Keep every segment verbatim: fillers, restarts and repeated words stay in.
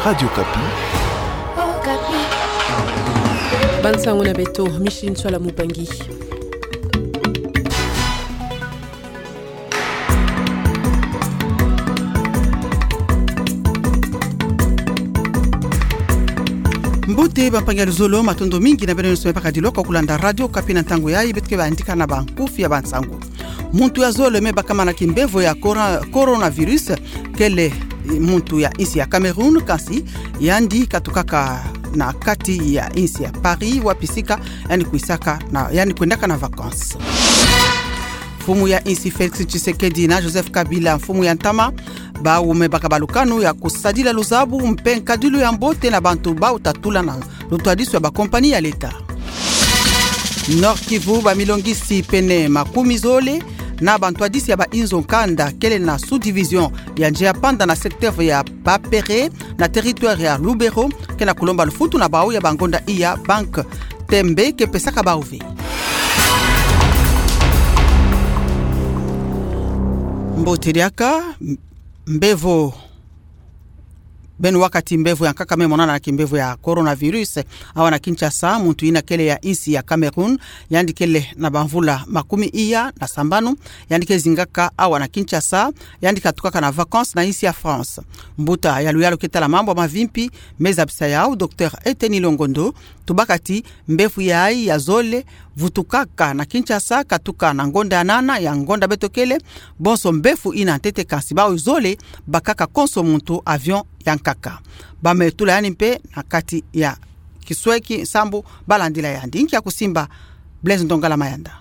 Radio Okapi. Bansango na beto, Micheline Ntsoila Mubangi. Mbote bampangi ya luzolo, matondo mingi na beno nyonso me baka diloko kulanda Radio Okapi na ntangu yayi. Beto ke bandika na bankufi ya bansango. Muntu ya zole me bakama na kimbevo ya cora-, coronavirus, kele, eh, muntu ya insi ya Cameroun, kasi yandi katukaka na kati ya insi ya Paris, wapi sika yandi kwisaka na, yandi kwendaka na vacances. Mfumu ya insi Félix Tshisekedi na Joseph Kabila, mfumu ya ntama, bawu me baka balukanu ya kusadila luzabu mpe nkadilu ya mbote na bantu bawu tatula na lutwadisu ya bakompani ya leta. Nord-Kivu, bamilongisi pene makumi zole na bantwadisi ya bainzo nkanda kele na sous-division ya Nzea Panda na secteur ya Bapere na territoire ya Lubero ke na kulomba lufutu na bawu ya bangonda iya banque Tembe ke pesaka bawu ve. Mbote diaka, mbevo. Beno wakati mbevo ya nkaka me monana na kimbevo ya coronavirus awa na Kinshasa, muntu ina kele ya insi ya Cameroun, yandi kele na bamvula makumi iya na sambanu, yandi ke zingaka awa na Kinshasa, yandi katukaka na vacances na insi ya France. Mbuta ya luyalu ke tala mambu ya mavimpi me zabisa yawu, Docteur Eteni Longondo, tubaka ti mbevo yayi ya zole vutukaka na Kinshasa, katuka na ngonda ya nana ya ngonda beto kele, bonso mbevo ina ntete, kasi bawu zole bakaka konso muntu avion ya nkaka. Ba me tula yandi mpe na kati ya kisweki sambu ba landila yandi. Nki ya kusimba, Blaise Ndongala Mayanda.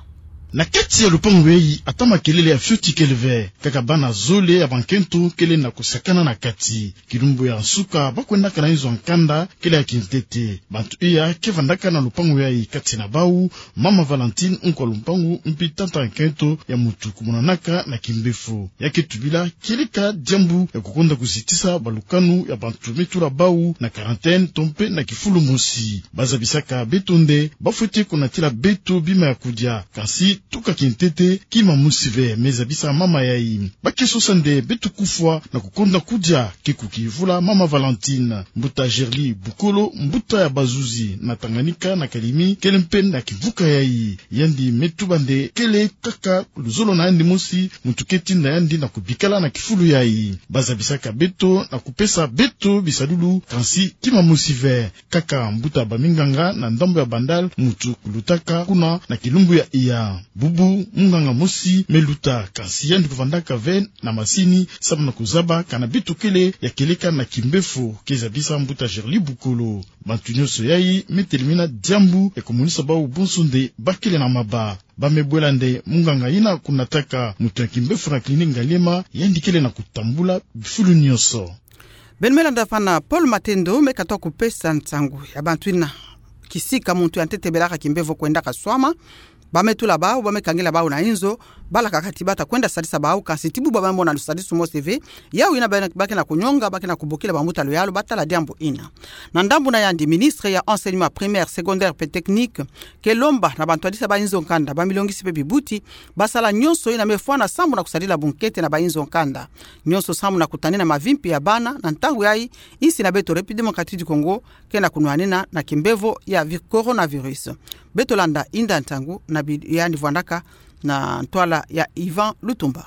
Na kati ya lupangu yayi, ata makelele ya fioti kele ve, kaka bana zole ya bankento kele na kusakana na kati. Kilumbu ya nsuka, ba kwendaka na inzo ya nkanda kele ya kintete. Bantu iya ke vandaka na lupangu yayi, kati na bawu mama Valentine, nkwa lumpangu, mpi tata nkento ya muntu kumonanaka na kimbevo. Ya ke tubila kieleka diambu ya kukonda kuzitisa balukanu ya bantu me tula bawu na quarantaine to mpe na kifulu mosi. Ba zabisaka beto nde ba fweti kunatila beto bima ya kudia, kasi tuka kintete, kima mosi ve, me zabisa mama yayi. Ba ke sosa nde beto kufwa na kukonda kudia, ke kukivula mama Valentine. Mbuta Gerly Bukolo, mbuta ya bazuzi na Tanganyika na Kalemi, kele mpe na kimvuka yayi. Yandi me tuba nde kele kaka luzolo na yandi mosi muntu ke tinda yandi na kubikala na kifulu yayi. Ba zabisaka beto na kupesa beto bisadulu, kasi kima mosi ve. Kaka mbuta baminganga na ndambu ya Bandal, muntu kulutaka kuna na kilumbu ya iya. Bubu munganga mosi me luta, kasi yandi kuvandaka ve na masini, samu na kuzaba kana beto kele ya kieleka na kimbevo, ke zabisa mbuta Gerly Bukolo. Bantu nyonso yayi me telemina diambu ya kumonisa bawu bonso nde ba kele na maba. Ba me bwela nde munganga ina kunataka muntu ya kimbevo na clinique Ngaliema, yandi kele na kutambula bifulu nyonso. Beno me landa fana, Paul Matendo me katuka kupesa nsangu ya bantu ina kisika muntu ya ntete belaka kimbevo kwendaka swama. Ba me tula bawu, ba me kangila bawu na inzo, balaka kati ba ta kwenda sadisa bawu, kasi ti bubu ba me mona lusadisu mosi ve. Yawu ina ba, ba ke na kunyonga, ba ke na kubokila bambuta luyalu ba tala diambu ina. Na ndambu na yandi, ministre ya enseignement primaire, secondaire mpe technique ke lomba na bantwadisi ya bainzo nkanda, bamilongisi mpe bibuti, ba sala nyonso ina me fwana sambu na kusadila bunkete na bainzo nkanda. Nyonso sambu na kutanina mavimpi ya bana. Na ntangu yayi, insi na beto République Démocratique du Congo ke na kunwanina na kimbevo ya vi-, coronavirus. Beto landa inda ntangu na bi-, yandi vwandaka na ntwala ya Yvan Lutumba.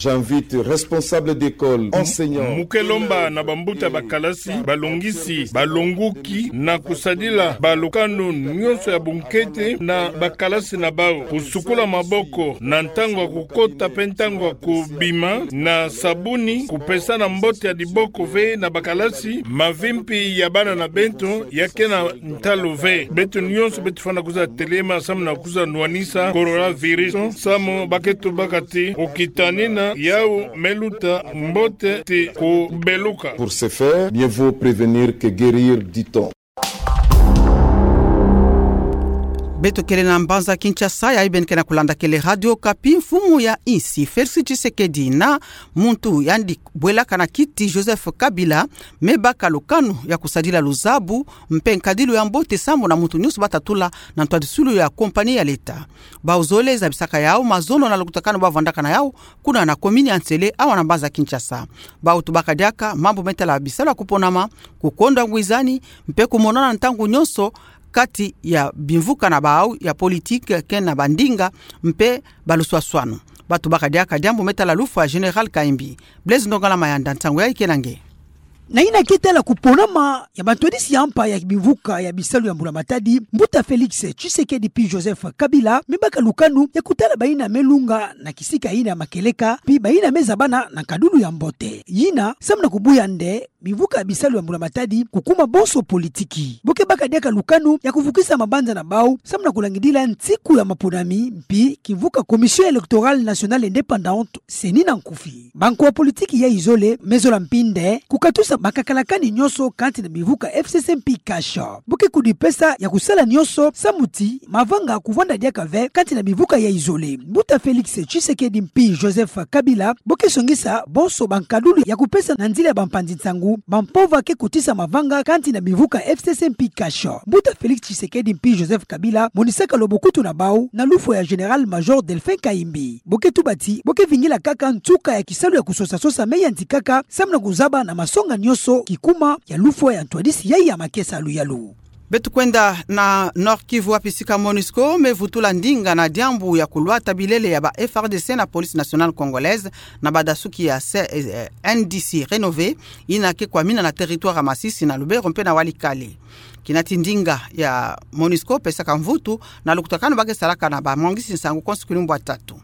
J'invite responsables d'école, enseignants. Mu ke lomba na bambuta bakalasi, balongisi, balonguki na kusadila balukanu nyonso ya bunkete na bakalasi na bawu. Kusukula maboko na ntangu ya kukota mpe ntangu ya kubima, na sabuni, kupesana mbote ya liboko ve na bakalasi, mavimpi ya bana na beto ya ke na ntalu ve. Beto nyonso beto fwana kuza telema samu na kuza nwanisa coronavirus, samu ba ke tubaka ti kukitanina yawu me luta mbote ti kubeluka. Pour ce faire, mieux vaut prévenir que guérir, dit-on. Beto kele na mbanza Kinshasa, ya ibeni ke na kulanda kele Radio Okapi. Mfumu ya insi Félix Tshisekedi na muntu yandi bwelaka na kiti Joseph Kabila me baka lukanu ya kusadila luzabu mpe nkadilu ya mbote sambu na muntu nyonso batatula na ntwadisilu ya compagnie ya leta. Bau zole zabisaka yau mazono na lukutakanu bavwandaka na yau kuna na commune ya Nsele, awa na mbanza Kinshasa. Bau tubaka diaka mambu me tala bisalu ya kuponama, kukonda ngwizani mpe kumonana ntangu nyonso kati ya bimvuka na bau ya politique ke na bandinga mpe baluswaswanu. Ba tubaka diaka diambu me tala lufwa ya Général Kayimbi. Blaise Ndongala Mayanda, nsangu yayi ke na nge. Na yina ke tala kuponama ya bantwadisi ya mpa ya bimvuka ya bisalu ya Mbula Matadi, mbuta Félix Tshisekedi mpi Joseph Kabila me baka lukanu ya kutala bayina me lunga na kisika yina ya makieleka mpi bayina me zabana na nkadilu ya mbote. Yina samu na kubuya nde bimvuka ya bisalu ya Mbula Matadi kukuma bonso politiki. Bo ke baka diaka lukanu ya kuvukisa mabanza na bau samu na kulangidila nsiku ya maponami mpi kimvuka Commission Électorale Nationale Indépendante, CENI na nkufi. Banko ya politiki yayi zole me zola mpi nde kukatusa makakalakani nyonso kati na bimvuka FCC mpi CACH. Bo ke kudipesa ya kusala nyonso samu ti mavanga kuvwanda diaka ve kati na bimvuka yayi zole. Mbuta Félix Tshisekedi mpi Joseph Kabila bo ke songisa bonso bankadilu ya kupesa na nzila ya bampanzi-nsangu bampova ke kotisa mavanga kati na bimvuka FCC mpi CACH. Mbuta Félix Tshisekedi mpi Joseph Kabila monisaka lobokutuna bau na lufwa ya Général-Major Delphin Kayimbi. Bo ke tuba ti bo ke vingila kaka nsuka ya kisalu ya kusosa-sosa me yantikaka samu na kuzaba na masonga nyonso kikuma ya lufwa ya ntwadisi yayi ya makisalu yalu. Beto kwenda na Nord-Kivu, wapi sika MONUSCO me vutula ndinga na diambu ya kulwata bilele ya ba FARDC na Police Nationale Congolaise na badasuki ya C-, eh, NDC Rénové, yina ke kwamina na territoire ya Masisi, na Lubero mpe na Walikale. Kinati ndinga ya MONUSCO pesaka mvutu na lukutakanu ba ke salaka na bamwangisi-nsangu konso kilumbu ya tatu.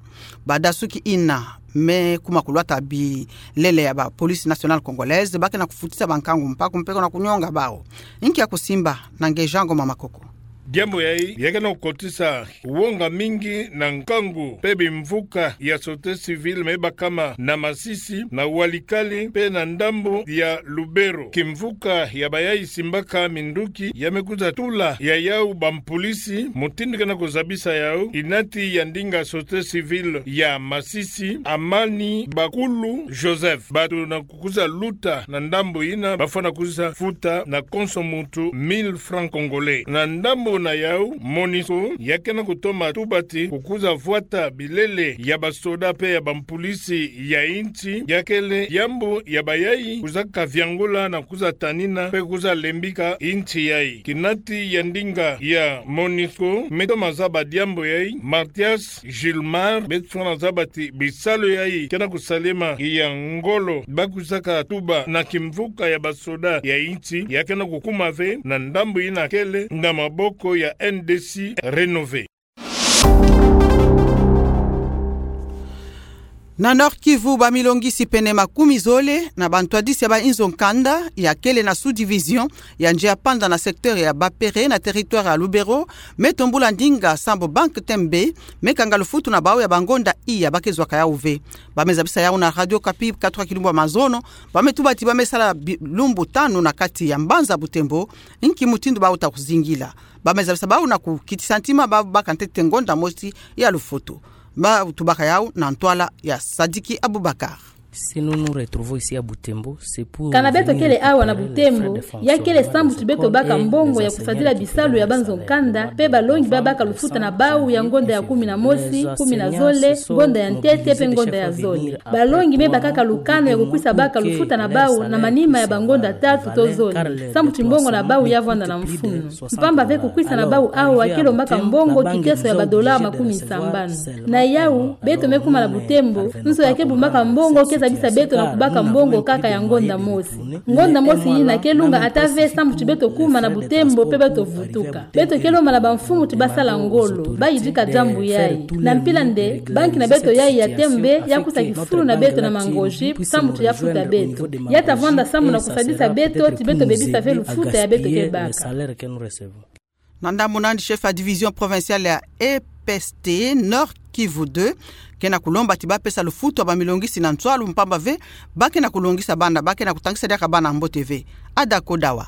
Badasuki yina me kuma kulwata bilele ya ba Police Nationale Congolaise ba ke na kufutisa bankangu mpaku mpe ko na kunyonga bau. Inki ya kusimba? Na nge Jean Ngoma Makoko. Diambu yayi ya ke na kukotisa wonga mingi na nkangu mpe bimvuka ya société civile me bakama na Masisi, na Walikale mpe na ndambu ya Lubero. Kimvuka ya bayayi simbaka minduki ya me kwiza tula ya yau bampolisi, mutindu ke na kuzabisa yau, inati ya ndinga société civile ya Masisi, Amani Bakulu Joseph. Bato na kukwiza luta na ndambu yina, bafwana kwiza futa na konso muntu mille francs congolais. Na ndambu na yau, MONUSCO ya ke na kutoma tuba ti kukwiza vwata bilele ya basoda mpe ya bampolisi ya insi, ya kele diambu ya bayayi kwiza kaviangula na kwiza tanina mpe kwiza lembika insi yayi. Kinati ya ndinga ya MONUSCO me toma zaba diambu yayi, Mathias Gilmar, beto fwana zaba ti bisalu yayi ke na kusalema ya ngolo ba kwiza katuba na kimvuka ya basoda ya insi, ya ke na kukuma ve na ndambu yina kele na maboko ya NDC Rénové. Na Nord-Kivu, bamilongisi pene makumi zole na bantwadisi ya bainzo nkanda ya kele na sous-division ya Nzea Panda na secteur ya Bapere na territoire ya Lubero, me tombula ndinga sambu Banque T M B me kanga lufutu na bau ya bangonda iya ba ke zwaka yau ve. Ba me zabisa yau na Radio Okapi katwa kilumbu ya mazono, ba me tuba ti ba me sala bi-, lumbu tanu na kati ya mbanza Butembo, inki mutindu bau ta kuzingila. Ba me zabisa bau na kukitisa ntima bau baka ntete ngonda mosi ya lufutu. Ba tubaka yau na ntwala ya Sadiki Abubakar. Si nous nous retrouvons ici à Butembo, c'est pour venir récupérer les frais de fonctionnement de ce corps et les enseignants qui nous enseignent à travers ce corps. Si nous nous retrouvons ici à Butembo, c'est pour venir récupérer les frais de fonctionnement de ce corps et les enseignants qui nous enseignent à travers ce corps. Kana beto kele awa na Butembo, ya kele sambu ti beto baka mbongo ya kusadila bisalu ya baka lufuta na bau ya ngonda ya kumi na mosi, kumi na zole, ngonda ya ntete mpe ngonda ya zole. Balongi me bakaka lukanu ya kukwisa baka lufuta na bau na manima ya bangonda tatu to zole, sambu ti mbongo na bau ya vwanda na mfunu. Mpamba ve kukwisa na bau awa kele mbaka mbongo kiteso ya ba dollars makumi sambanu. Na yau, beto me kuma na Butembo, nzo ya ke bumbaka mbongo ke zabisa beto na kubaka mbongo kaka ya ngonda mosi. Ngonda mosi yina ke lunga ata ve sambu ti beto kuma na Butembo mpe beto vutuka. Beto ke lomba na bamfumu ti ba sala ngolo, ba yidika diambu yayi. Na mpila nde, banki na beto yayi ya T M B ya kwisa kifulu na beto na mangozi, sambu ti ya futa beto. Ya ta vwanda sambu na kusadisa beto, ti beto bebisa ve lufuta ya beto ke baka. Na ndambu nandi, chef ya division provinciale ya E P S T Nord Kivu deux ke na kulomba ti ba pesa lufutu ya bamilongisi na nswalu, mpamba ve ba ke na kulongisa bana, ba ke na kutangisa diaka bana mbote ve. Ada Kodawa.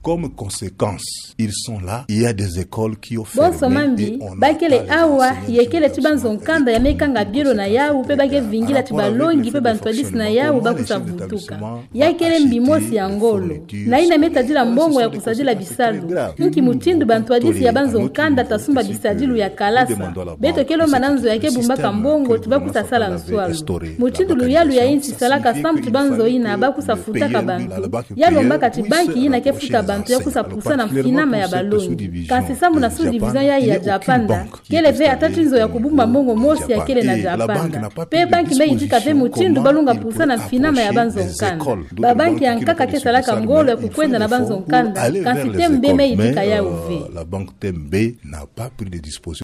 Comme conséquence, ils sont là, il y a des écoles qui ont fermé. Bonso mambi bakele awa, yekele ti banzo nkanda ya mekanga bielo na yawu, pe bake vingila ti balongi pe bantwadisi na yawu bakusa vutuka. Yakele mbi mosi ya ngolo. Na yina metadila mbongo ya kusadila bisalu. Nki mutindu bantwadisi ya banzo nkanda ta sumba bisadilu ya kalasa? Beto ke lomba na nzo ya ke bumbaka mbongo ti bakusa sala nswalu. Mutindu luyalu ya insi salaka sambu ti banzo yina bakusa futaka bantu, ya lombaka ti banki yina ke futa bantu ya kusa pusa na mfinama ya balongi. Kansi sambu na sous-division yayi ya Japanda, kele ve ata ti nzo ya kubumba mbongo mosi ya kele na Japanda. Pe banki me yidika ve mutindu balunga pusa na mfinama ya banzo nkanda. Babanki ya nkaka ke salaka ngolo ya kukwenda na banzo nkanda, kansi T M B me yidika yawu ve. La banque T M B n'a pas pris de disposition.